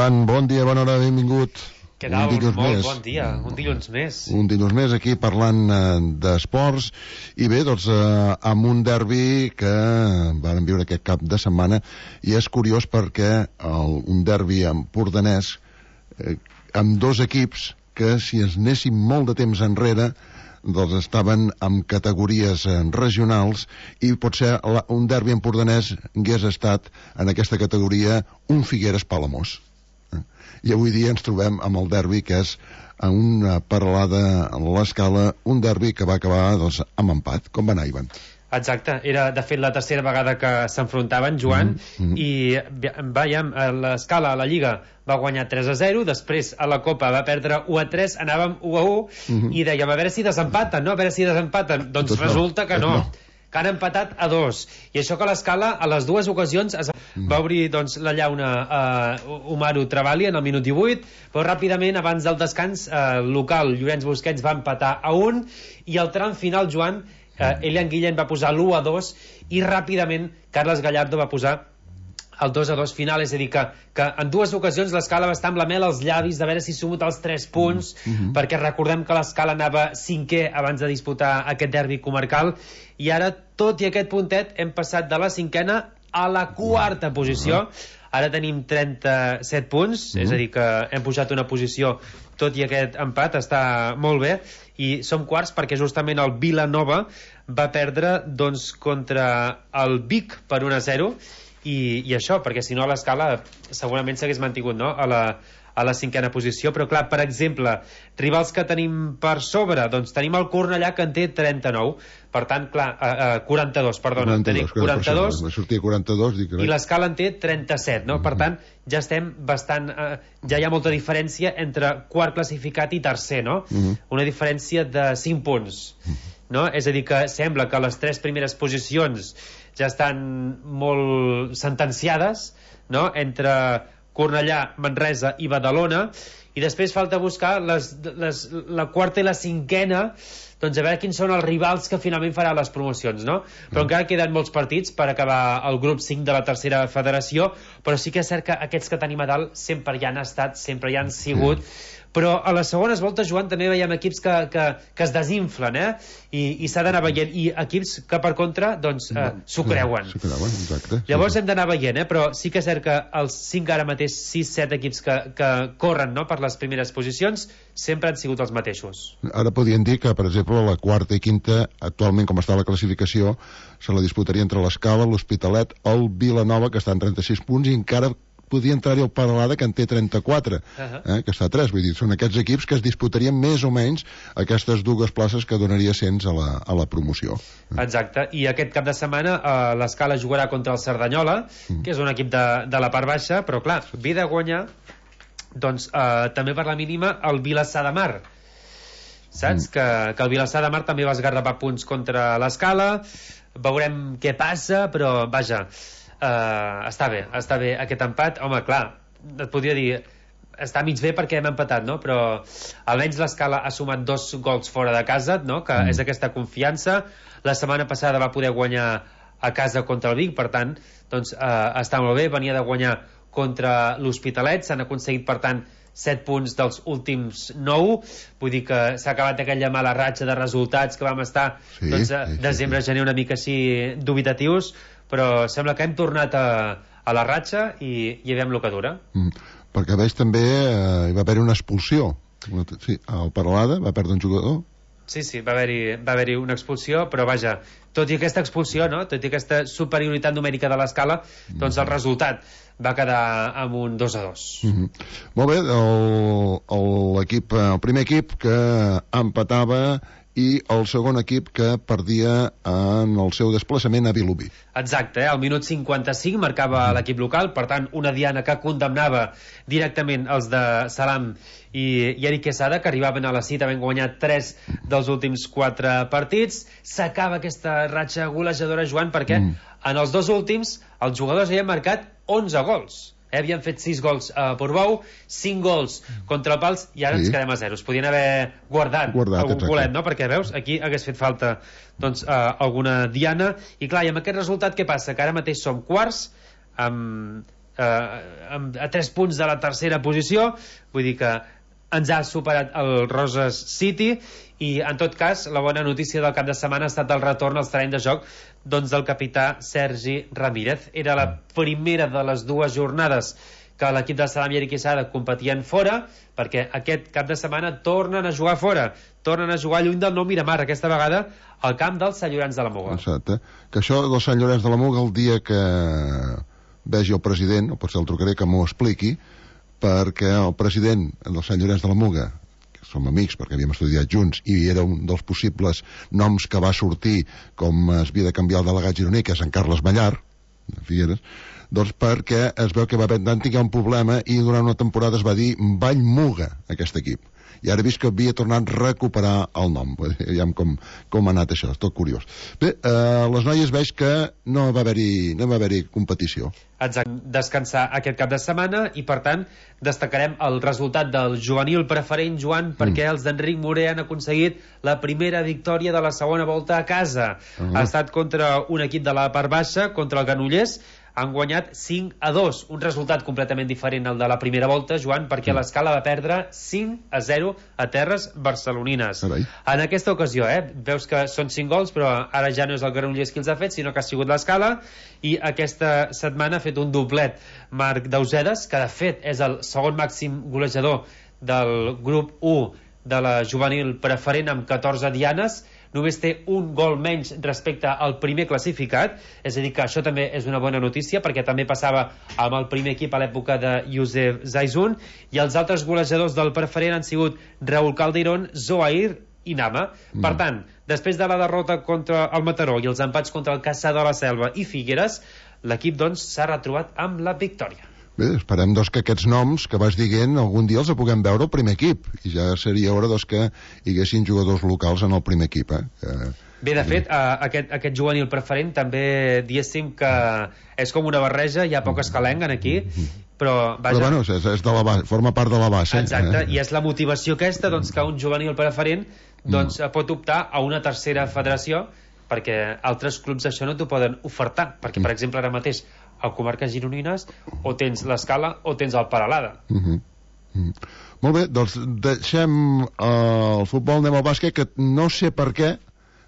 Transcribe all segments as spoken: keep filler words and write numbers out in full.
Joan, bon dia, bona hora, benvingut. Què tal? Molt més. Bon dia, un dilluns més. Un dilluns més aquí parlant eh, d'esports i bé, doncs eh, amb un derbi que vàrem viure aquest cap de setmana i és curiós perquè el, un derbi empordanès eh, amb dos equips que si ens anéssim molt de temps enrere doncs estaven en categories eh, regionals i potser la, un derbi empordanès hagués estat en aquesta categoria un Figueres Palamós. I avui dia ens trobem amb el derbi que és una paralada a l'escala, un derbi que va acabar doncs, amb empat. Com va anar, Ivan? Exacte, era de fet la tercera vegada que s'enfrontaven, Joan, mm -hmm. i veiem, l'escala a la Lliga va guanyar tres a zero, després a la Copa va perdre u a tres, anàvem u a u, mm -hmm. i dèiem a veure si desempaten, no? A veure si desempaten. Doncs Tot resulta no. que no. no. que han empatat a dos, i això que l'escala a les dues ocasions es va obrir doncs, la llauna a uh, Umaru Travali en el minut divuit, però ràpidament abans del descans uh, local Llorenç Busquets va empatar a un, i al tram final, Joan, uh, Elian Guillén va posar l'u a dos i ràpidament Carles Gallardo va posar el dos a dos final, és a dir, que, que en dues ocasions l'escala va estar amb la mel als llavis de veure si sumut els tres punts, mm -hmm. perquè recordem que l'escala anava cinquè abans de disputar aquest derbi comarcal, i ara, tot i aquest puntet, hem passat de la cinquena a la quarta posició. Ara tenim trenta-set punts, mm -hmm. és a dir, que hem pujat una posició, tot i aquest empat, està molt bé, i som quarts perquè justament el Vilanova va perdre doncs, contra el Vic per un a zero, I, i això, perquè si no l'escala segurament s'hagués mantingut, no?, a la, a la cinquena posició. Però clar, per exemple, rivals que tenim per sobre, doncs tenim el Cornellà, que en té trenta-nou, per tant, clar, uh, uh, quaranta-dos, perdona, quaranta-dos, tenim quaranta-dos, me sortia quaranta-dos, dic, i l'escala en té trenta-set, no? Mm -hmm. Per tant, ja estem bastant, uh, ja hi ha molta diferència entre quart classificat i tercer, no? Mm -hmm. Una diferència de cinc punts, mm -hmm. no? És a dir, que sembla que les tres primeres posicions ja estan molt sentenciades, no?, entre Cornellà, Manresa i Badalona, i després falta buscar les, les, la quarta i la cinquena, doncs a veure quins són els rivals que finalment faran les promocions, no? Però encara queden molts partits per acabar el grup cinc de la tercera federació, però sí que és cert que aquests que tenim a dalt sempre hi han estat, sempre hi han sigut, però a les segones voltes, Joan, també veiem equips que, que, que es desinflen, eh? I, i s'ha d'anar veient, i equips que per contra doncs eh, s'ho creuen. S'ho creuen, exacte. Llavors hem d'anar veient, eh? Però sí que és cert que els cinc ara mateix, sis set equips que, que corren, no?, per les primeres posicions, sempre han sigut els mateixos. Ara podien dir que, per exemple, la quarta i quinta, actualment com està la classificació, se la disputaria entre l'Escala, l'Hospitalet, el Vilanova, que està en trenta-sis punts, i encara podria entrar-hi el Paralada, que en té trenta-quatre, uh-huh. eh, que està a tres, vull dir, són aquests equips que es disputarien més o menys aquestes dues places que donaria ascens a la, a la promoció. Exacte, i aquest cap de setmana eh, l'Escala jugarà contra el Cerdanyola, mm. que és un equip de, de la part baixa, però clar, ve de guanyar doncs eh, també per la mínima el Vilassar de Mar, saps? Mm. Que, que el Vilassar de Mar també va esgarrapar punts contra l'Escala, veurem què passa, però vaja, Uh, està bé, està bé aquest empat. Home, clar, et podria dir està mig bé perquè hem empatat, no? Però almenys l'Escala ha sumat dos gols fora de casa, no?, que mm. és aquesta confiança. La setmana passada va poder guanyar a casa contra el Vic, per tant, doncs uh, està molt bé. Venia de guanyar contra l'Hospitalet, s'han aconseguit, per tant, set punts dels últims nou, vull dir que s'ha acabat aquella mala ratxa de resultats que vam estar, sí, doncs, a sí, desembre, sí, gener una mica així dubitatius, però sembla que hem tornat a, a la ratxa i, i veiem el que dura. Mm, perquè veig també eh, hi va haver una expulsió. Sí, el Paralada va perdre un jugador. Sí, sí, va haver-hi va haver-hi una expulsió, però vaja, tot i aquesta expulsió, no?, tot i aquesta superioritat numèrica de l'Escala, doncs el resultat va quedar amb un dos a dos. Mm-hmm. Molt bé, el, el, l'equip, el primer equip que empatava i el segon equip que perdia en el seu desplaçament a Vilobí. Exacte, eh? Al minut cinquanta-cinc marcava mm. l'equip local, per tant una diana que condemnava directament els de Salam i, i Eric Quesada, que arribaven a la cita, havent guanyat tres dels últims quatre partits. S'acaba aquesta ratxa golejadora, Joan, perquè mm. en els dos últims els jugadors havien marcat onze gols. Eh, havien fet sis gols a Portbou, cinc gols contra el Pals, i ara sí. ens quedem a zero. Es podien haver guardat, guardat algun golet, no? Perquè, veus, aquí hagués fet falta doncs, uh, alguna diana. I clar, i amb aquest resultat què passa? Que ara mateix som quarts amb eh, a tres punts de la tercera posició, vull dir que ens ha superat el Roses City. I en tot cas la bona notícia del cap de setmana ha estat el retorn als terrenys de joc doncs del capità Sergi Ramírez. Era la primera de les dues jornades que l'equip del Salami i Quesada competien fora, perquè aquest cap de setmana tornen a jugar fora, tornen a jugar lluny del Nou Miramar, aquesta vegada al camp dels Sant Llorenç de la Muga. Exacte, que això del Sant Llorenç de la Muga, el dia que vegi el president, o potser el trucaré que m'ho expliqui, perquè el president del Sant Llorenç de la Muga, que som amics perquè havíem estudiat junts, i era un dels possibles noms que va sortir com es havia de canviar el delegat gironí, que és en Carles Mallar de Figueres, doncs perquè es veu que va haver de tinguer un problema i durant una temporada es va dir Vallmuga, aquest equip. I ara he vist que havia tornat a recuperar el nom. Veiem com, com ha anat això, és tot curiós. Bé, eh, les noies veig que no va haver-hi no va haver-hi competició. Exacte, descansar aquest cap de setmana i per tant destacarem el resultat del juvenil preferent, Joan, perquè mm. els d'Enric Moré han aconseguit la primera victòria de la segona volta a casa. Uh -huh. Ha estat contra un equip de la part baixa, contra el Granollers. Han guanyat cinc a dos, un resultat completament diferent al de la primera volta, Joan, perquè mm. l'Escala va perdre cinc a zero a terres barcelonines. Carai. En aquesta ocasió, eh, veus que són cinc gols, però ara ja no és el Granollers qui els ha fet, sinó que ha sigut l'Escala, i aquesta setmana ha fet un doblet Marc Dausedes, que de fet és el segon màxim golejador del grup u de la juvenil preferent amb catorze dianes. Només té un gol menys respecte al primer classificat, és a dir que això també és una bona notícia, perquè també passava amb el primer equip a l'època de Youssef Zaizun, i els altres golejadors del preferent han sigut Raúl Calderón, Zohair i Nama. Mm. Per tant, després de la derrota contra el Mataró i els empats contra el Caçà de la Selva i Figueres, l'equip doncs s'ha retrobat amb la victòria. Bé, esperem doncs, que aquests noms que vas dient algun dia els puguem veure al primer equip, i ja seria hora doncs, que hi haguessin jugadors locals en el primer equip. Eh? Que... Bé, de fet, uh, aquest, aquest juvenil preferent també diguéssim que és com una barreja, hi ha poc escalenc aquí, però vaja... Però bueno, és, és de la base, forma part de la base. Exacte, eh? I és la motivació aquesta doncs, que un juvenil preferent doncs, mm. pot optar a una tercera federació, perquè altres clubs això no t'ho poden ofertar, perquè per exemple ara mateix a comarques gironines o tens l'Escala o tens el Peralada. Uh -huh. Uh -huh. Molt bé, doncs deixem uh, el futbol, anem al bàsquet, que no sé per què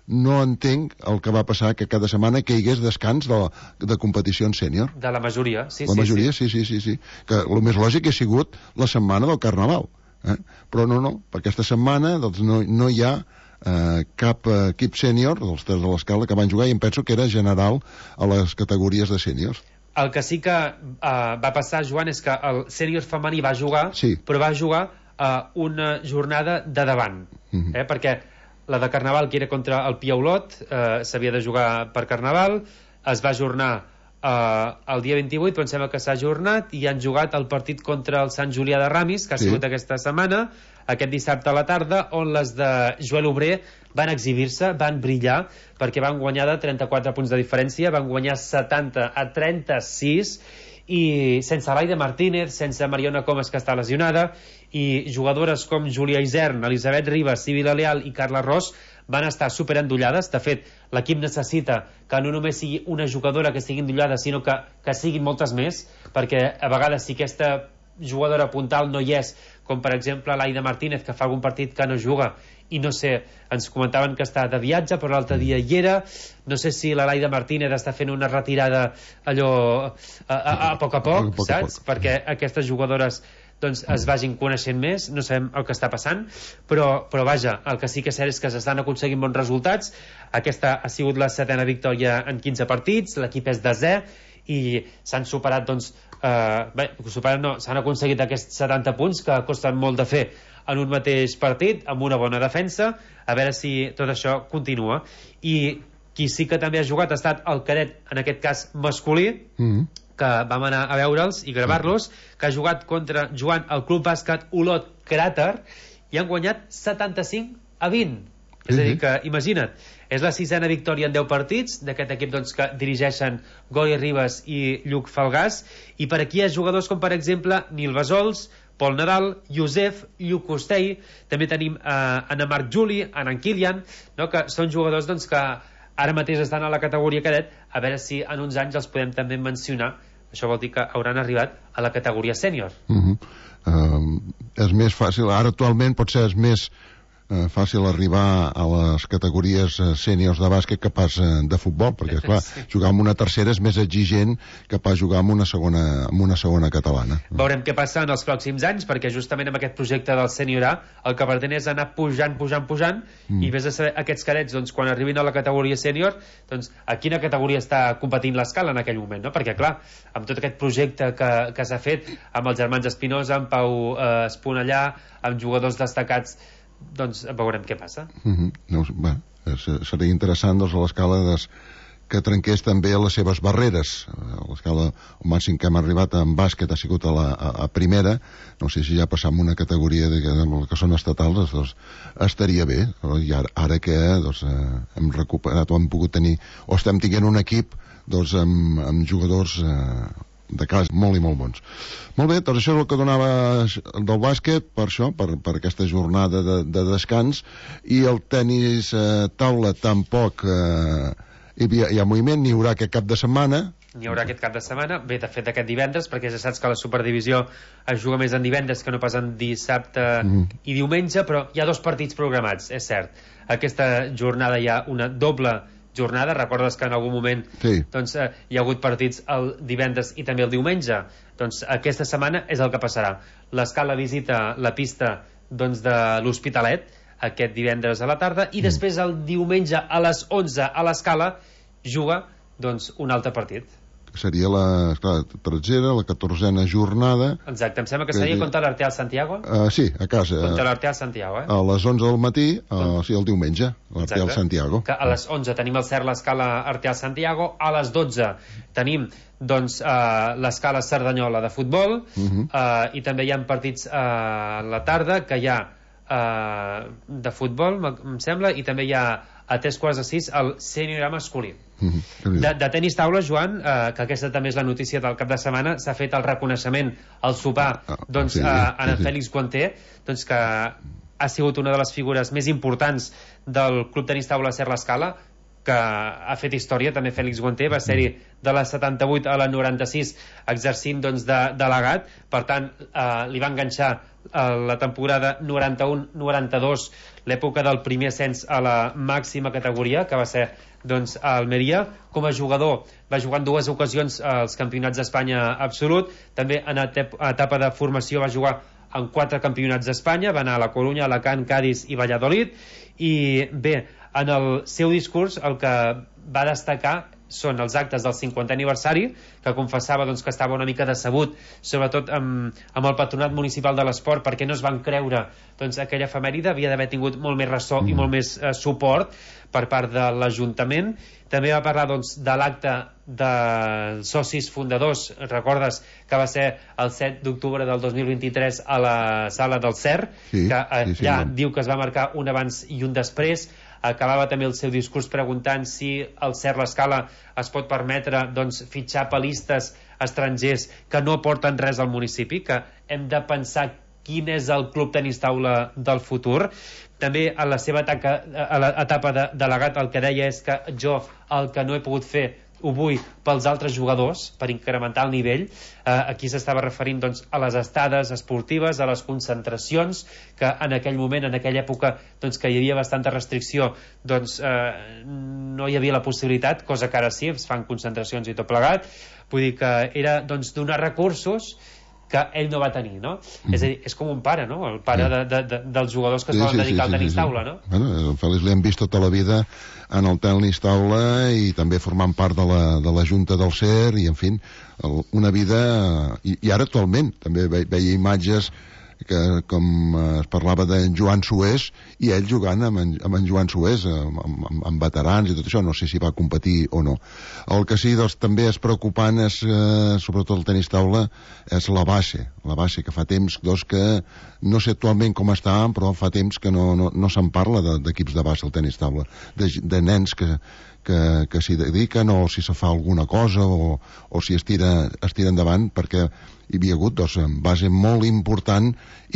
no entenc el que va passar que cada setmana que hi hagués descans de, de competicions sènior. De la majoria, sí, la sí. La majoria, sí. sí, sí, sí, sí. Que el més lògic ha sigut la setmana del Carnaval. Eh? Però no, no, per aquesta setmana doncs, no, no hi ha Uh, cap uh, equip sènior dels tres de l'Escala que van jugar, i em penso que era general a les categories de sèniors. El que sí que uh, va passar, Joan, és que el sènior femení va jugar, sí. però va jugar uh, una jornada de davant, uh -huh. eh? perquè la de Carnaval, que era contra el Piaulot, uh, s'havia de jugar per Carnaval, es va ajornar uh, el dia vint-i-vuit, però em sembla que s'ha ajornat, i han jugat el partit contra el Sant Julià de Ramis, que ha sí. sigut aquesta setmana, aquest dissabte a la tarda, on les de Joel Obrer van exhibir-se, van brillar, perquè van guanyar de trenta-quatre punts de diferència, van guanyar setanta a trenta-sis, i sense Laida Martínez, sense Mariona Comas, que està lesionada, i jugadores com Júlia Isern, Elisabet Ribas, Sibila Leal i Carla Ros van estar superendollades. De fet, l'equip necessita que no només sigui una jugadora que estigui endollada, sinó que, que siguin moltes més, perquè a vegades si aquesta jugadora puntal no hi és, com per exemple l'Aida Martínez, que fa algun partit que no juga, i no sé, ens comentaven que està de viatge, però l'altre dia hi era, no sé si la Laida Martínez està fent una retirada allò a, a, a poc a poc, a poc, saps? A poc. Perquè aquestes jugadores doncs es vagin coneixent més, no sabem el que està passant, però, però vaja, el que sí que és cert és que s'estan aconseguint bons resultats. Aquesta ha sigut la setena victòria en quinze partits, l'equip és desè, i s'han superat doncs, eh, bé, superat no, s'han aconseguit aquests setanta punts que costen molt de fer en un mateix partit, amb una bona defensa, a veure si tot això continua. I qui sí que també ha jugat ha estat el cadet, en aquest cas masculí, mm-hmm. que vam anar a veure'ls i gravar-los, que ha jugat contra Joan al Club Bàsquet Olot Cràter, i han guanyat setanta-cinc a vint. És a dir que, imagina't, és la sisena victòria en deu partits d'aquest equip doncs, que dirigeixen Goi Ribas i Lluc Falgàs, i per aquí hi ha jugadors com per exemple Nil Besols, Pol Nadal, Josef, Lluc Costell, també tenim eh, Anna Marc Juli, Anna Kilian, no? Que són jugadors doncs, que ara mateix estan a la categoria cadet, a veure si en uns anys els podem també mencionar això vol dir que hauran arribat a la categoria sènior. Uh-huh. uh, és més fàcil, ara actualment potser és més eh, fàcil arribar a les categories eh, sèniors de bàsquet que pas eh, de futbol, perquè esclar, sí. jugar amb una tercera és més exigent que pas jugar amb una segona, amb una segona catalana. Veurem què passa en els pròxims anys, perquè justament amb aquest projecte del Sènior A el que pretén és anar pujant, pujant, pujant, mm. i vés a saber aquests cadets, doncs, quan arribin a la categoria sènior, doncs, a quina categoria està competint l'escala en aquell moment, no? Perquè, clar, amb tot aquest projecte que, que s'ha fet amb els germans Espinosa, amb Pau eh, Esponellà, amb jugadors destacats, doncs veurem què passa. Mm-hmm. No, bé, seria interessant, doncs, a l'escala des, que trenqués també les seves barreres. A l'escala, el màxim que hem arribat en bàsquet ha sigut a la a, a primera, no sé si ja passam una categoria de, de, de que són estatals, doncs estaria bé, i ara, ara que doncs, eh, hem recuperat o hem pogut tenir, o estem tinguent un equip doncs, amb, amb jugadors eh, de casa molt i molt bons. Molt bé, doncs això és el que donava del bàsquet, per això, per, per aquesta jornada de, de descans, i el tenis eh, taula tampoc eh, hi, havia, hi ha moviment, n'hi haurà aquest cap de setmana. N'hi haurà aquest cap de setmana, bé, de fet aquest divendres, perquè ja saps que la Superdivisió es juga més en divendres que no pas en dissabte mm. i diumenge, però hi ha dos partits programats, és cert. Aquesta jornada hi ha una doble jornada, recordes que en algun moment sí. doncs, eh, hi ha hagut partits el divendres i també el diumenge, doncs aquesta setmana és el que passarà. L'escala visita la pista doncs, de l'Hospitalet aquest divendres a la tarda i mm. després el diumenge a les onze a l'escala juga doncs, un altre partit. Seria la, esclar, tretzena, la catorzena jornada. Exacte, em sembla que seria contra l'Arteal Santiago. Uh, sí, a casa. Contra l'Arteal Santiago, eh? A les onze del matí, uh, sí, el diumenge, l'Arteal Santiago. Que a les onze tenim el CERT l'escala Arteal Santiago, a les dotze tenim doncs, uh, l'escala Cerdanyola de futbol, uh -huh. uh, i també hi ha partits uh, a la tarda que hi ha uh, de futbol, em sembla, i també hi ha a tres quarts de sis el sènior masculí. Mm-hmm. De, de tenis taula, Joan, eh, que aquesta també és la notícia del cap de setmana, s'ha fet el reconeixement al sopar ah, doncs, sí, eh, a en sí, Fèlix Guanter, doncs, que ha sigut una de les figures més importants del Club Tenis Taula Ser l'Escala, que ha fet història, també Fèlix Guanter va ser-hi de la setanta-vuit a la noranta-sis exercint doncs, de delegat, per tant eh, li va enganxar eh, la temporada noranta-u noranta-dos, l'època del primer ascens a la màxima categoria, que va ser doncs, a Almeria. Com a jugador va jugar en dues ocasions als campionats d'Espanya absolut, també en etapa de formació va jugar en quatre campionats d'Espanya, va anar a la Corunya, Alacant, Cádiz i Valladolid, i bé, en el seu discurs el que va destacar són els actes del cinquantè aniversari, que confessava doncs, que estava una mica decebut, sobretot amb, amb el patronat municipal de l'esport, perquè no es van creure doncs, aquella efemèride, havia d'haver tingut molt més ressò mm. i molt més eh, suport per part de l'Ajuntament. També va parlar doncs, de l'acte dels socis fundadors, recordes que va ser el set d'octubre del dos mil vint-i-tres a la sala del CERT, sí, que allà sí, sí, no. diu que es va marcar un abans i un després. Acabava també el seu discurs preguntant si el CERT l'Escala es pot permetre doncs, fitxar pelistes estrangers que no aporten res al municipi, que hem de pensar quin és el club tenis taula del futur. També a la seva etapa, a l'etapa de delegat el que deia és que jo el que no he pogut fer ho vull pels altres jugadors, per incrementar el nivell. Eh, aquí s'estava referint doncs, a les estades esportives, a les concentracions, que en aquell moment, en aquella època doncs, que hi havia bastanta restricció, doncs eh, no hi havia la possibilitat, cosa que ara sí, es fan concentracions i tot plegat. Vull dir que era doncs, donar recursos que ell no va tenir, no? Mm. És a dir, és com un pare, no? El pare de, de, de, dels jugadors que es sí, volen sí, dedicar sí, al tenis sí, sí. taula, no? Bueno, el Fèlix l'hem vist tota la vida en el tenis taula i també formant part de la, de la Junta del CERT i, en fi, el, una vida... I, i ara actualment també ve, veia imatges que com es parlava de Joan Sués i ell jugant amb en, amb en Joan Sués amb, amb, amb veterans i tot això, no sé si va competir o no. El que sí doncs, també és preocupant és, eh, sobretot el tenis taula, és la base la base, que fa temps doncs, que no sé actualment com està, però fa temps que no, no, no se'n parla d'equips de base al tenis taula, de, de nens que, que, que s'hi dediquen, o si se fa alguna cosa, o, o si es tira, es tira endavant, perquè hi havia hagut doncs, base molt important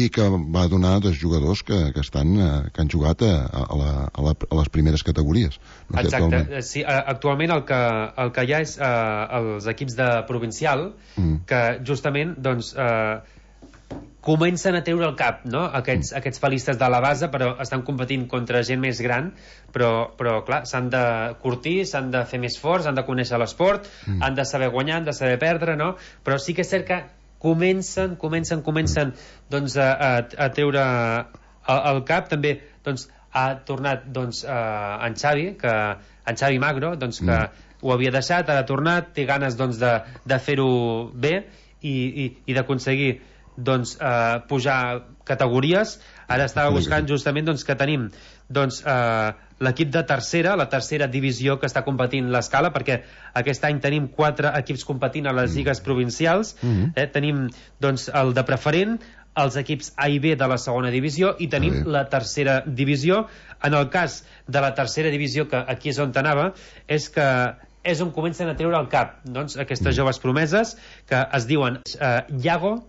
i que va donar dos jugadors que, que, estan, que han jugat a, a, la, a, la, a les primeres categories. No sé, Exacte, actualment. sí, actualment el que, el que hi ha és eh, els equips de provincial mm. que justament doncs, eh, comencen a treure el cap, no? Aquests, mm. aquests palistes de la base, però estan competint contra gent més gran, però, però clar, s'han de curtir, s'han de fer més forts, han de conèixer l'esport, mm. han de saber guanyar, han de saber perdre, no? Però sí que és cert que comencen, comencen, comencen doncs, a, a, a treure el, el cap. També doncs, ha tornat doncs, uh, en Xavi, que, en Xavi Magro, doncs, que mm. ho havia deixat, ara ha tornat, té ganes doncs, de, de fer-ho bé i, i, i d'aconseguir doncs, uh, pujar categories. Ara estava buscant justament doncs, que tenim doncs, uh, l'equip de tercera, la tercera divisió que està competint l'Escala, perquè aquest any tenim quatre equips competint a les lligues provincials. Mm-hmm. eh, tenim doncs, el de preferent, els equips A i B de la segona divisió, i tenim la tercera divisió. En el cas de la tercera divisió, que aquí és on anava, és que és on comencen a treure el cap doncs, aquestes mm. joves promeses, que es diuen eh, Iago,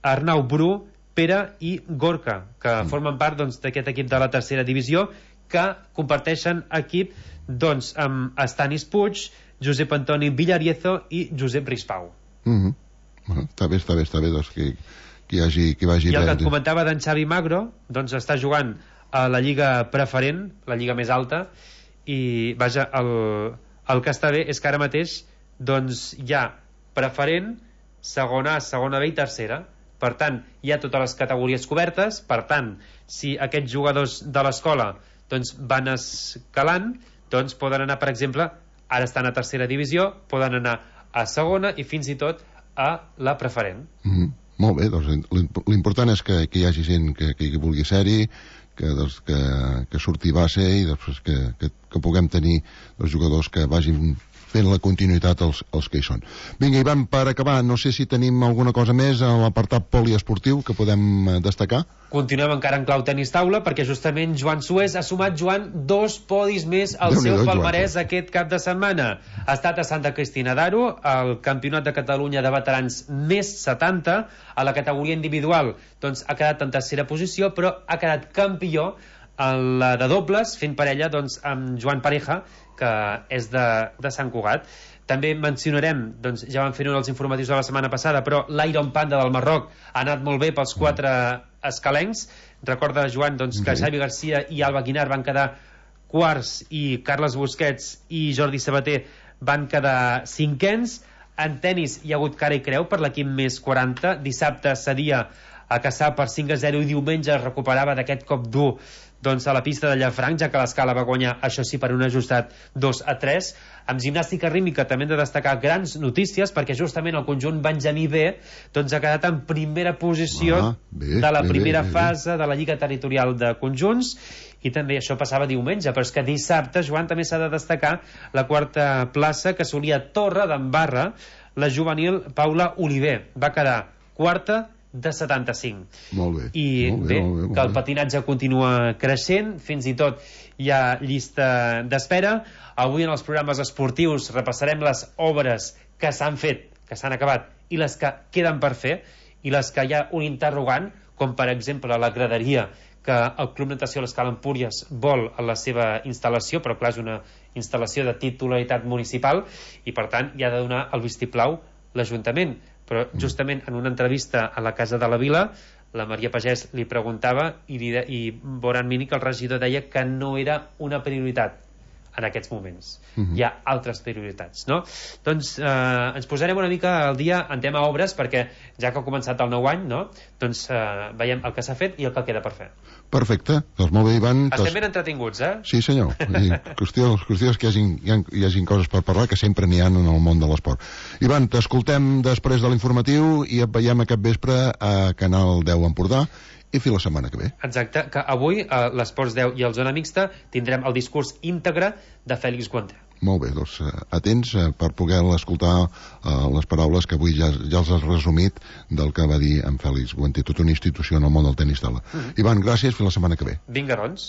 Arnau Bru, Pere i Gorka, que mm. formen part doncs, d'aquest equip de la tercera divisió, que comparteixen equip doncs, amb Estanis Puig, Josep Antoni Villariezo i Josep Rispau. Mm-hmm. Bueno, està bé, està bé, està bé doncs, que, que hi hagi, que vagi I el bé. que et comentava d'en Xavi Magro, doncs està jugant a la lliga preferent, la lliga més alta, i vaja, el, el que està bé és que ara mateix doncs, hi ha preferent, segona A, segona B i tercera. Per tant, hi ha totes les categories cobertes. Per tant, si aquests jugadors de l'escola doncs, van escalant, doncs poden anar, per exemple, ara estan a tercera divisió, poden anar a segona i fins i tot a la preferent. Mm-hmm. Molt bé, doncs l'important és que, que hi hagi gent que, que hi vulgui ser-hi, que, doncs, que, que surti base i després que, que, que puguem tenir els jugadors que vagin fent la continuïtat els, els que hi són. Vinga, Ivan, per acabar, no sé si tenim alguna cosa més a l'apartat poliesportiu que podem destacar. Continuem encara en clau tenis taula, perquè justament Joan Suez ha sumat, Joan, dos podis més al seu palmarès aquest cap de setmana. Ha estat a Santa Cristina d'Aro, al Campionat de Catalunya de Veterans més setanta, a la categoria individual doncs ha quedat en tercera posició, però ha quedat campió en la de dobles, fent parella doncs, amb Joan Pareja, que és de, de Sant Cugat. També mencionarem, doncs, ja vam fer un dels informatius de la setmana passada, però l'Iron Panda del Marroc ha anat molt bé pels quatre escalencs. Recorda, Joan, doncs, que Xavi Garcia i Alba Guinar van quedar quarts i Carles Busquets i Jordi Sabater van quedar cinquens. En tenis hi ha hagut cara i creu per l'equip més quaranta. Dissabte cedia a Cassà per cinc a zero i diumenge es recuperava d'aquest cop dur doncs, a la pista de Llafranc, ja que l'Escala va guanyar, això sí, per un ajustat dos a tres. Amb gimnàstica rítmica també hem de destacar grans notícies, perquè justament el conjunt Benjamí B doncs, ha quedat en primera posició ah, bé, de la bé, primera bé, bé, fase de la Lliga Territorial de Conjunts, i també això passava diumenge, però és que dissabte, Joan, també s'ha de destacar la quarta plaça que assolia Torre d'Embarra, la juvenil Paula Oliver. Va quedar quarta de setanta-cinc. Molt bé. I molt bé, bé, molt bé, molt que el bé. patinatge continua creixent, fins i tot hi ha llista d'espera. Avui en els programes esportius repassarem les obres que s'han fet, que s'han acabat, i les que queden per fer, i les que hi ha un interrogant, com per exemple la graderia que el Club Natació l'Escala Empúries vol a la seva instal·lació, però clar, és una instal·lació de titularitat municipal i per tant hi ha de donar el vistiplau l'Ajuntament. Però justament en una entrevista a la Casa de la Vila, la Maria Pagès li preguntava i, li de, i Boran Mini, que el regidor, deia que no era una prioritat en aquests moments. Uh-huh. Hi ha altres prioritats, no? Doncs eh, ens posarem una mica al dia en tema obres, perquè ja que ha començat el nou any, no? Doncs eh, veiem el que s'ha fet i el que queda per fer. Perfecte, doncs molt bé, Ivan. Estem tos... ben entretinguts, eh? Sí, senyor. I qüestió, qüestió és que hi hagin, hi, ha, hi hagin coses per parlar, que sempre n'hi ha en el món de l'esport. Ivan, t'escoltem després de l'informatiu i et veiem aquest vespre a Canal deu Empordà i fins la setmana que ve. Exacte, que avui a l'Esports deu i el Zona Mixta tindrem el discurs íntegre de Fèlix Guanter. Molt bé, doncs atents per poder escoltar uh, les paraules que avui ja, ja els has resumit del que va dir en Fèlix Guanter, tota una institució en el món del tenis taula. Mm-hmm. Ivan, gràcies, fins la setmana que ve. Vinga, doncs.